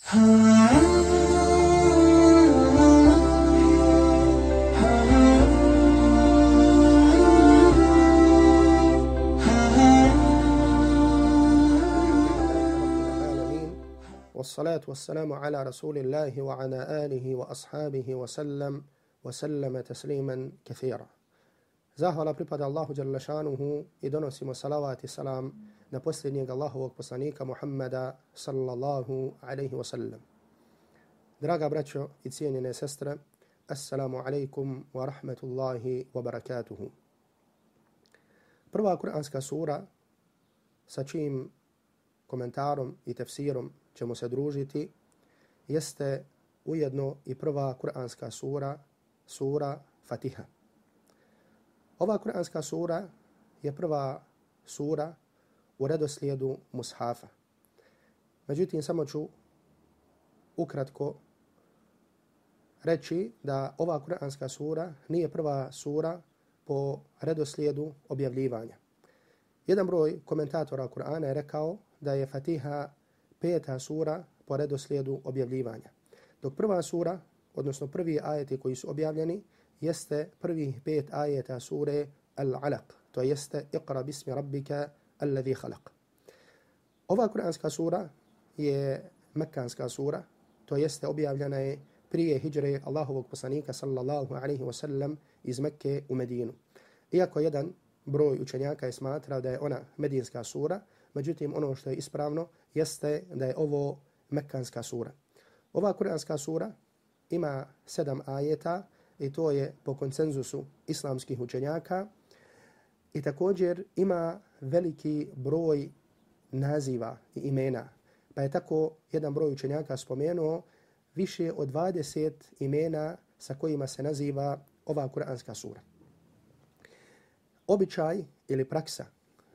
والصلاة والسلام على رسول الله وعلى آله وأصحابه وسلم تسليما كثيرا. Zahvala pripada Allahu dželle šanuhu i donosimo salavat i salam na posljednjeg Allahovog poslanika Muhammeda sallallahu alaihi wa sallam. Draga braćo i cijenjene sestre, assalamu alaikum wa rahmatullahi wa barakatuhu. Prva kuranska sura sa čijim komentarom i tefsirom ćemo se družiti jeste ujedno i prva kuranska sura, sura Fatiha. Ova kuranska sura je prva sura u redoslijedu mushafa. Međutim, samo ću ukratko reći da ova kuranska sura nije prva sura po redoslijedu objavljivanja. Jedan broj komentatora Kur'ana je rekao da je Fatiha peta sura po redoslijedu objavljivanja. Dok prva sura, odnosno prvi ajeti koji su objavljeni, jeste prvih 5 ajeta sure Al-Alaq, to jeste Iqra bismi rabbika alladhi khalaq. Ova kuranska sura je mekanska sura, to jeste objavljena je prije hidžre Allahovog poslanika sallallahu alaihi wa sallam iz Mekke u Medinu. Iako jedan broj učenjaka je smatrao da je ona medinska sura, međutim ono što je ispravno jeste da je ovo mekanska sura. Ova kuranska sura ima 7 ajeta i to je po konsenzusu islamskih učenjaka i također ima veliki broj naziva i imena. Pa je tako jedan broj učenjaka spomenuo više od 20 imena sa kojima se naziva ova kuranska sura. Običaj ili praksa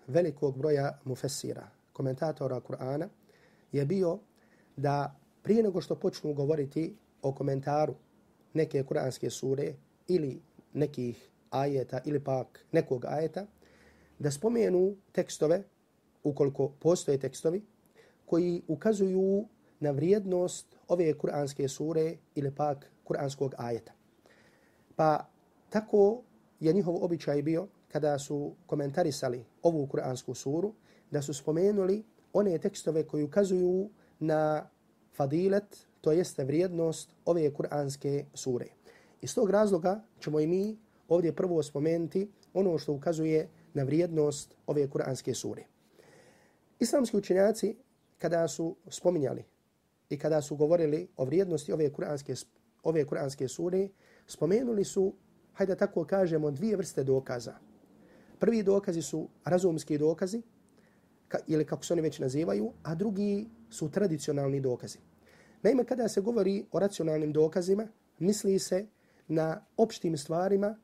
velikog broja mufessira, komentatora Kur'ana, je bio da prije nego što počnu govoriti o komentaru neke kuranske sure ili nekih ajeta ili pak nekog ajeta, da spomenu tekstove, ukoliko postoje tekstovi, koji ukazuju na vrijednost ove kuranske sure ili pak kuranskog ajeta. Pa tako je njihov običaj bio kada su komentarisali ovu kuransku suru, da su spomenuli one tekstove koji ukazuju na fadilet, to jeste vrijednost ove kuranske sure. Iz tog razloga ćemo i mi ovdje prvo spomenuti ono što ukazuje na vrijednost ove kuranske sure. Islamski učenjaci kada su spominjali i kada su govorili o vrijednosti ove kuranske sure, spomenuli su, hajde tako kažemo, 2 vrste dokaza. Prvi dokazi su razumski dokazi, ili kako se oni već nazivaju, a drugi su tradicionalni dokazi. Naime, kada se govori o racionalnim dokazima, misli se na opštim stvarima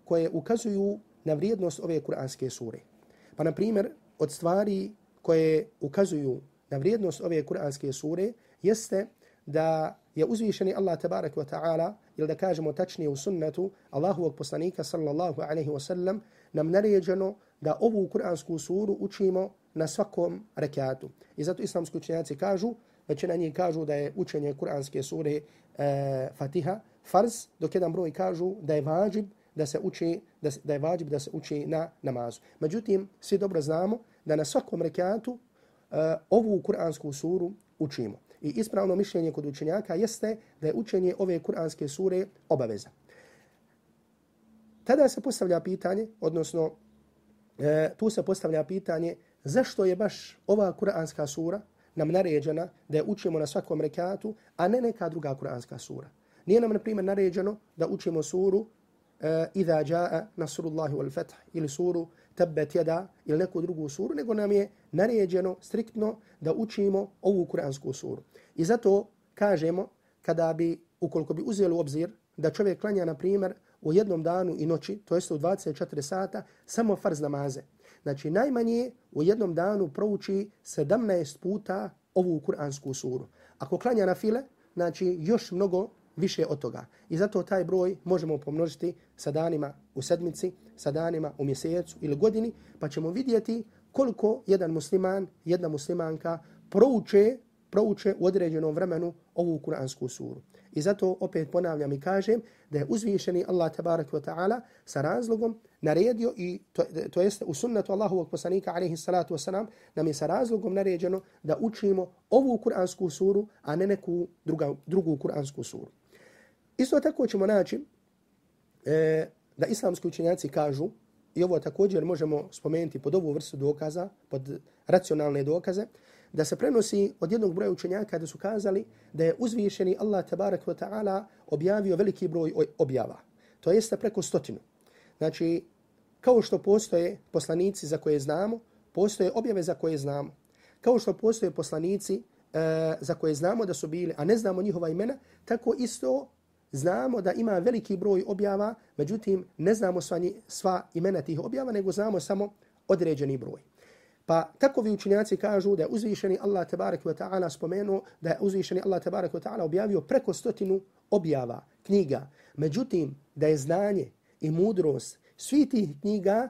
koje ukazuju na vrijednost ove kuranske sure. Pa, na primjer, od stvari koje ukazuju na vrijednost ove kuranske sure jeste da je uzvišeni Allah tabarak wa ta'ala, ili da kažemo tačnije u sunnetu Allahovog poslanika sallallahu alaihi wa sallam, nam naređeno da ovu kuransku suru učimo na svakom rekatu. I zato islamski učenjaci kažu, većina njih kažu da je učenje kuranske sure Fatiha farz, dok jedan broj kažu da je vađib da se uči na namazu. Međutim, svi dobro znamo da na svakom rekatu ovu kuransku suru učimo. I ispravno mišljenje kod učenjaka jeste da je učenje ove kuranske sure obaveza. Tada se postavlja pitanje, odnosno tu se postavlja pitanje zašto je baš ova kuranska sura nam naređena da je učimo na svakom rekatu, a ne neka druga kuranska sura. Nije nam, na primjer, naređeno da učimo suru Iza jaa nasrullahi wal fath ili suru Tabbat yada ili neku drugu suru, nego nam je naređeno striktno da učimo ovu kuransku suru. I zato kažemo, ukoliko bi uzeli u obzir da čovjek klanja, na primjer, u jednom danu i noći, to jest u 24 sata, samo farz namaze. Znači, najmanje u jednom danu prouči 17 puta ovu kuransku suru. Ako klanja na file, znači još mnogo više od toga. I zato taj broj možemo pomnožiti sa danima u sedmici, sa danima u mjesecu ili godini, pa ćemo vidjeti koliko jedan musliman, jedna muslimanka prouče prouče u određenom vremenu ovu kuransku suru. I zato opet ponavljam i kažem da je uzvišeni Allah tabaraka wa ta'ala sa razlogom naredio i to jeste u sunnetu Allahovog poslanika alejhi salatu vesselam nam je sa razlogom naređeno da učimo ovu kuransku suru, a ne neku drugu kuransku suru. Isto tako ćemo naći da islamski učenjaci kažu, i ovo također možemo spomenuti pod ovu vrstu dokaza, pod racionalne dokaze, da se prenosi od jednog broja učenjaka da su kazali da je uzvišeni Allah tabarak wa ta'ala objavio veliki broj objava. To jeste preko 100. Znači, kao što postoje poslanici za koje znamo, postoje objave za koje znamo. Kao što postoje poslanici za koje znamo da su bili, a ne znamo njihova imena, tako isto znamo da ima veliki broj objava, međutim ne znamo sva imena tih objava, nego znamo samo određeni broj. Pa takovi učenjaci kažu da je uzvišeni Allah tabarak wa ta'ala spomenuo da je uzvišeni Allah tabarak wa ta'ala objavio preko 100 objava, knjiga. Međutim, da je znanje i mudrost svih tih knjiga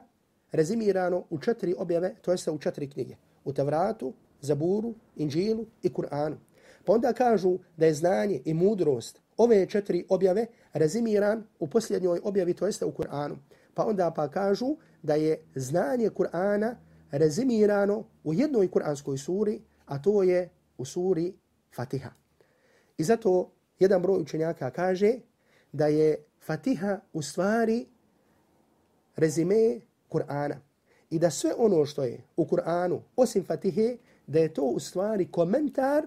rezimirano u 4 objave, to jeste u 4 knjige. U Tevratu, Zaburu, Inđilu i Kur'anu. Pa onda kažu da je znanje i mudrost ove 4 objave rezimiran u posljednjoj objavi, to jeste u Kur'anu. Pa onda kažu da je znanje Kur'ana rezimirano u jednoj kuranskoj suri, a to je u suri Fatiha. I zato jedan broj učenjaka kaže da je Fatiha u stvari rezime Kur'ana. I da sve ono što je u Kur'anu, osim Fatihe, da je to u stvari komentar,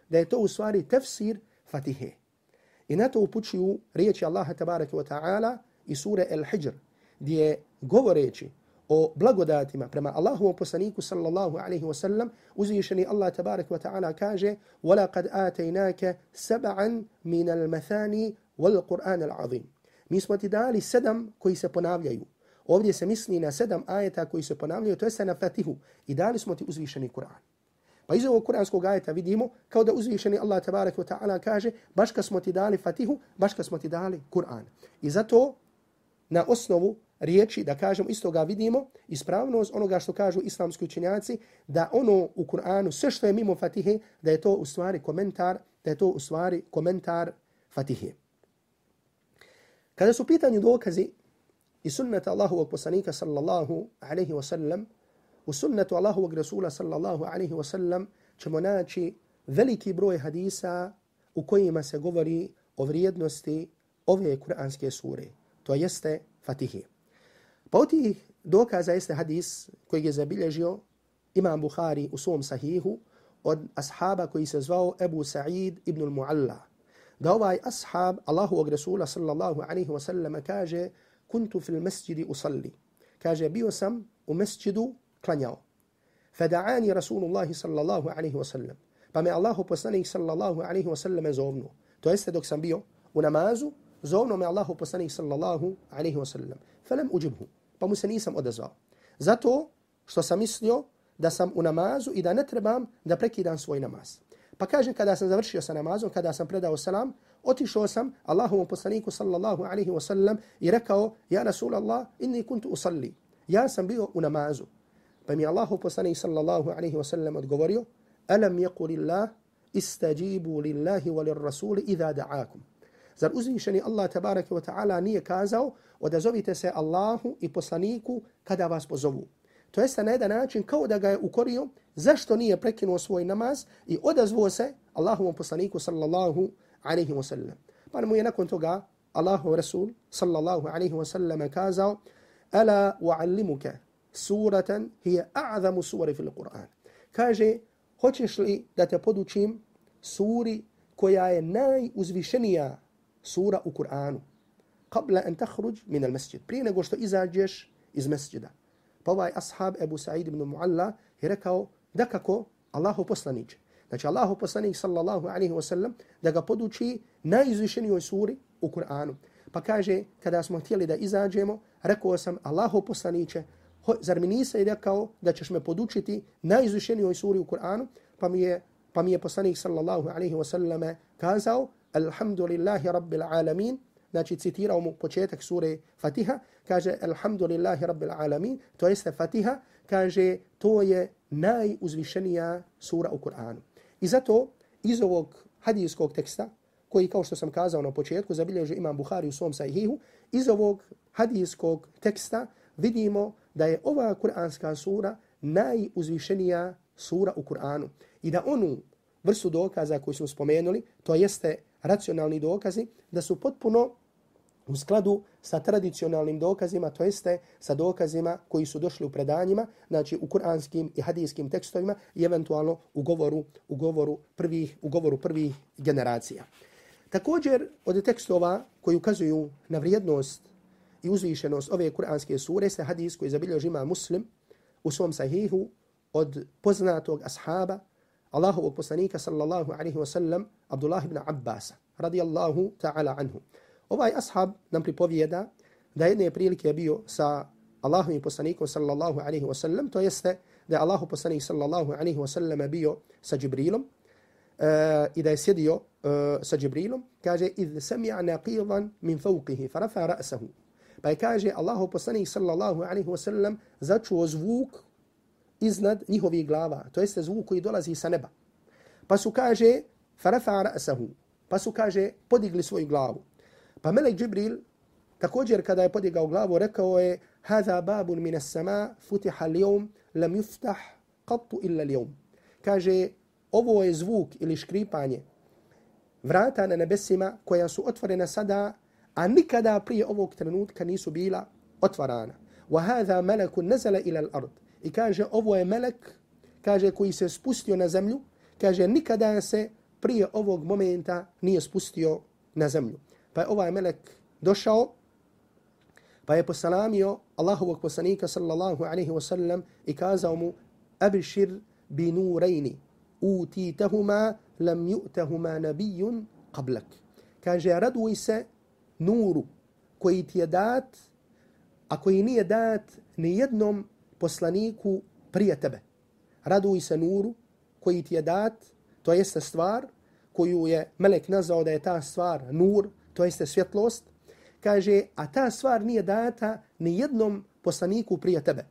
da je to u stvari tefsir Fatihe. I na to upućuju riječi Allaha tabaraka wa ta'ala i sure Al-Hijr, gdje govoreći o blagodatima prema Allahovom poslaniku sallallahu alaihi wa sallam, uzvišeni Allah tabaraka wa ta'ala kaže وَلَقَدْ آتَيْنَاكَ سَبْعًا مِنَ الْمَثَانِ وَالْقُرْآنَ الْعَظِيمِ. Mi smo ti dali 7 koji se ponavljaju. Ovdje se misli na 7 ajeta koji se ponavljaju, to je na Fatihu. I dali smo ti uzvišeni Kur'an. Pa iz ovog kuranskog ajeta vidimo kao da uzvišeni Allah tabaraka wa ta'ala kaže baš kad smo ti dali Fatihu, baš kad smo ti dali Kur'an. I zato na osnovu riječi, da kažemo, iz toga vidimo ispravnost onoga što kažu islamski učenjaci, da ono u Kur'anu, sve što je mimo Fatihe, da je to u stvari komentar, da je to u stvari komentar Fatihe. Kada su pitanju dokazi i sunnata Allahovog poslanika sallallahu alaihi wa sallam, u sunnetu Allahovog Rasula sallallahu alaihi wa sallam ćemo naći veliki broj hadisa u kojima se govori o vrijednosti ove kuranske sure, to jeste Fatihe. Pa od tih dokaza jeste hadis koji je zabilježio Imam Bukhari u svom sahihu od ashaba koji se zvao Ebu Sa'id ibn al-Mu'alla. Da ovaj ashab Allahovog Rasula sallallahu alaihi wa sallam kaže kuntu fil masjidi usalli. Kaže bio sam u mesjidu klanjao. Fada'ani Rasulullahi sallallahu alaihi wa sallam. Pa me Allahu poslanik sallallahu alaihi wa sallam zovnuo. To jeste dok sam bio u namazu, zovnuo me Allahu poslanik sallallahu alaihi wa sallam. Falam uđibhu. Pa mu se nisam odazvao. Zato što sam mislio da sam u namazu i da ne trebam da prekidam svoj namaz. Pa kažem, kada sam završio sa namazom, kada sam predao salam, otišao sam Allahovom poslaniku sallallahu alaihi wa sallam i rekao, ja Rasulallah, inni kuntu usalli. Ja sam bio u namazu. Pa mi Allahov poslanik sallallahu alaihi wa sallam odgovorio, alam yakulillah istajibu lillahi wa lirrasuli idha da'akum. Zar uzvišeni Allah tabaraka wa ta'ala nije kazao, odazovite se Allahu i poslaniku kada vas pozovu. To jeste na jedan način kao da ga je ukorio zašto nije prekinuo svoj namaz i odazvao se Allahovom poslaniku sallallahu alaihi wa sallam. Pa mu je nakon toga Allahov Rasul sallallahu alaihi wa sallam kazao, ala u'allimuka suratan hiya a'zamu suri fil Qur'an. Kaže, hoćeš li da te podučim suri koja je najuzvišenija sura u Kur'anu? Qabla an takhruj min al-masjid. Prije nego što izađeš iz mesdžida. Pa ovaj ashab Ebu Sa'id ibn Mu'alla je rekao, da kako Allahu poslaniče. Znači Allahu poslanik sallallahu alaihi wa sallam da ga poduči najuzvišenijoj suri u Kur'anu. Pa kaže, kada smo htjeli da izađemo, rekao sam, Allahu poslaniče, zar mi nisi rekao da ćeš me podučiti najuzvišenijoj suri u Kur'anu? Pa mi je poslanik sallallahu alaihi wa sallam kazao, alhamdulillahi rabbil alamin. Znači citirao mu početak sure Fatiha, kaže alhamdulillahi rabbil alamin, to jeste Fatiha, kaže to je najuzvišenija sura u Kur'anu. I zato iz ovog hadijskog teksta, koji kao što sam kazao na početku, zabilježio Imam Buhari u svom sahihu, iz ovog hadijskog teksta vidimo da je ova kuranska sura najuzvišenija sura u Kur'anu. I da onu vrstu dokaza koju smo spomenuli, to jeste racionalni dokazi, da su potpuno u skladu sa tradicionalnim dokazima, to jeste sa dokazima koji su došli u predanjima, znači u kuranskim i hadijskim tekstovima i eventualno u govoru prvih generacija. Također, od tekstova koji ukazuju na vrijednost i uzvišenost ove kuranske sure jeste hadis koji zabilježi Imam Muslim u svom sahihu od poznatog ashaba Allahovog poslanika sallallahu alaihi wa sallam Abdullah ibn Abbasa radijallahu ta'ala anhu. Ovaj ashab nam pripovijeda da jedne prilike je bio sa Allahovim poslanikom sallallahu alaihi wa sallam, to jeste da je Allahov poslanik sallallahu alaihi wa sallam bio sa Džibrilom i da je sjedio sa Džibrilom, kaže idh sami'a naqidan min fawqihi farafa ra'sahu. Pa je kaže Allahov poslanik sallallahu alaihi wa sallam začuo zvuk iznad njihovih glava, to jeste zvuk koji dolazi sa neba. Pa su kaže farafa ra'sahu, pa su kaže podigli svoju glavu. Pa melek Džibril također kada je podigao glavu rekao je hadha babun min as-sama futiha al-yawm lam yuftah qattu illa al-yawm. Kaže ovo je zvuk ili škripanje vrata na nebesima koja su otvorena sada, a nikada prije ovog trenutka nisu bila otvarana. Wa hadha malakun nazala ila al-ard. I kaže ovo je melek, kaže koji se spustio na zemlju, kaže nikada se prije ovog momenta nije spustio na zemlju. Pa je ovaj melek došao, pa je posalamio Allahovog poslanika sallallahu alaihi wa sallam i kazao mu abšir bi nurejni utitahuma lam ju'tahuma nabijun qablak. Kaže raduj se nuru koji ti je dat, a koji nije dat ni jednom poslaniku prije tebe. Raduj se nuru koji ti je dat, to jeste stvar koju je melek nazvao da je ta stvar nur, to jeste svjetlost. Kaže, a ta stvar nije data ni jednom poslaniku prije tebe.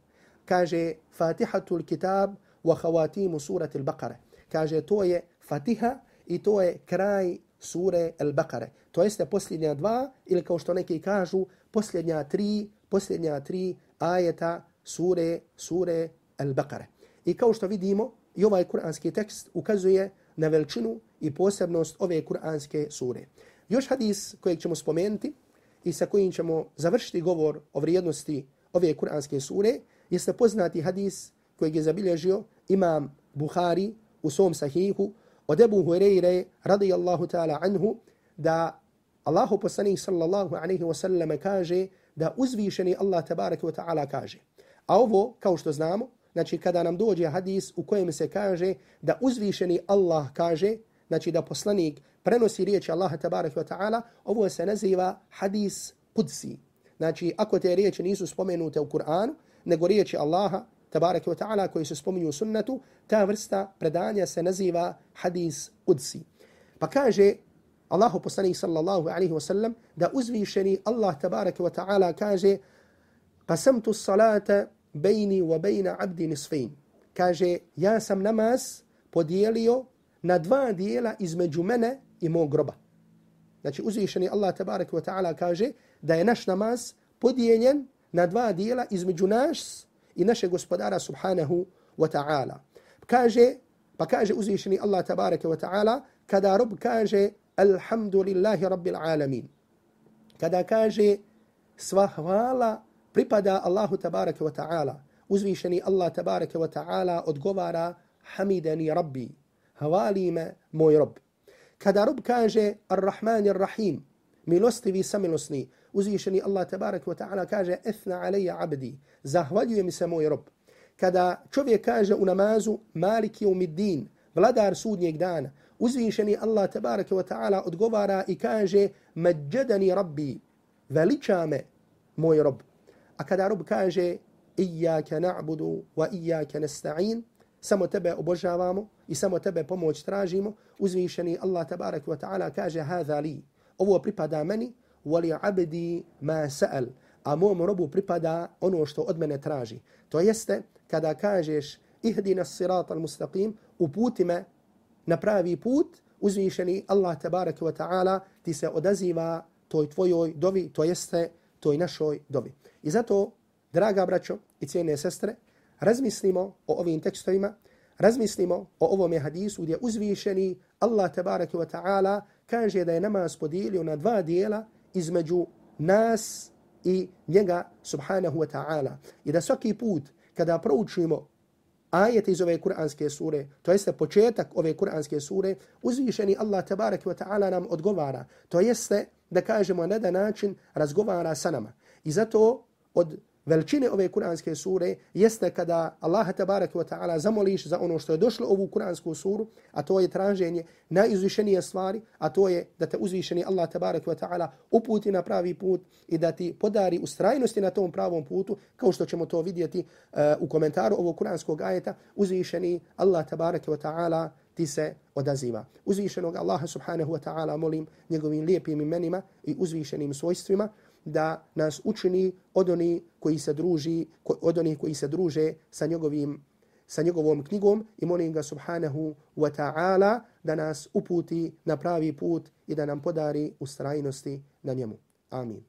Kaže, Fatihatul kitab wa khawatimu surati al-Baqara. Kaže, to je Fatiha i to je kraj sure al-Baqara. To jeste posljednja dva, ili kao što neki kažu, posljednja tri ajeta sure al-Baqara. I kao što vidimo, i ovaj kuranski tekst ukazuje na veličinu i posebnost ove kuranske sure. Još hadis kojeg ćemo spomenuti i sa kojim ćemo završiti govor o vrijednosti ove kuranske sure jeste poznati hadis kojeg je zabilježio Imam Buhari u svom sahihu od Ebu Hureyre radijallahu ta'ala anhu da Allahu poslanik sallallahu alaihi wa sallam kaže da uzvišeni Allah tabaraka wa ta'ala kaže. A ovo, kao što znamo, znači kada nam dođe hadis u kojem se kaže da uzvišeni Allah kaže, znači da poslanik prenosi riječi Allaha tabaraka wa ta'ala, ovo se naziva hadis kudsi. Znači ako te riječi nisu spomenute u Kur'anu, nego riječi Allaha tabaraka wa ta'ala koji se spominju u sunnetu, ta vrsta predanja se naziva hadis kudsi. Pa kaže Allahu poslanik sallallahu alaihi wa sallam da uzvišeni Allah tabaraka wa ta'ala kaže qasamtu salata bejni wa bejna abdi nisfejn. Kaže, ja sam namaz podijelio na dva dijela između mene i mog groba. Znači, uzvišeni Allah tabaraka wa ta'ala kaže da je naš namaz podijeljen na dva dijela između nas i našeg gospodara subhanahu wa ta'ala. Pa kaže uzvišeni Allah tabaraka wa ta'ala kada rob kaže alhamdulillahi rabbil alamin. Kada kaže sva hvala pripada Allahu tabaraka wa ta'ala. Uzvišeni Allah tabaraka wa ta'ala odgovara hamidani rabbi. Havali me moj rob. Kada rob kaže ar-Rahman ar-Rahim, milostivi samilosni, uzvišeni Allah tabaraka wa ta'ala kaže ethna alejja abdi, zahvaljuje mi se moj rob. Kada čovjek kaže u namazu Malik yawmiddin, vladar sudnjeg dana, uzvišeni Allah tabaraka wa ta'ala odgovara i kaže majjadani rabbi, veliča me moj rob. A kada rob kaže iyyaka na'budu wa iyyaka nasta'in, samo tebe obožavamo i samo tebe pomoć tražimo, uzvišeni Allah tabaraka wa ta'ala kaže hadha li, ovo pripada meni, wa li abdi ma sa'al, a mom robu pripada ono što od mene traži. To jeste kada kažeš ihdina as-sirata al-mustaqim, uputi me na pravi put, uzvišeni Allah tebareke ve taala ti se odaziva toj tvojoj dovi, to jeste toj našoj dovi. I zato, draga braćo i cijene sestre, razmislimo o ovim tekstovima, razmislimo o ovome hadisu gdje uzvišeni Allah tebareke ve taala kaže da je namaz podijelio na dva dijela između nas i njega subhanahu wa ta'ala. I da svaki put kada proučimo ajete iz ove kuranske sure, to jeste početak ove kuranske sure, uzvišeni Allah tabaraka wa ta'ala nam odgovara. To jeste da kažemo na jedan način razgovara sa nama. I zato od veličine ove kuranske sure jeste kada Allah tabaraka wa ta'ala zamoliš za ono što je došlo u ovu kuransku suru, a to je traženje najuzvišenije stvari, a to je da te uzvišeni Allah tabaraka wa ta'ala uputi na pravi put i da ti podari ustrajnosti na tom pravom putu, kao što ćemo to vidjeti u komentaru ovog kuranskog ajeta, uzvišeni Allah tabaraka wa ta'ala ti se odaziva. Uzvišenog Allaha subhanahu wa ta'ala molim njegovim lijepim imenima i uzvišenim svojstvima da nas učini od onih koji se druže sa njegovom knjigom i molim ga subhanahu wa ta'ala da nas uputi na pravi put i da nam podari ustrajnosti na njemu. Amin.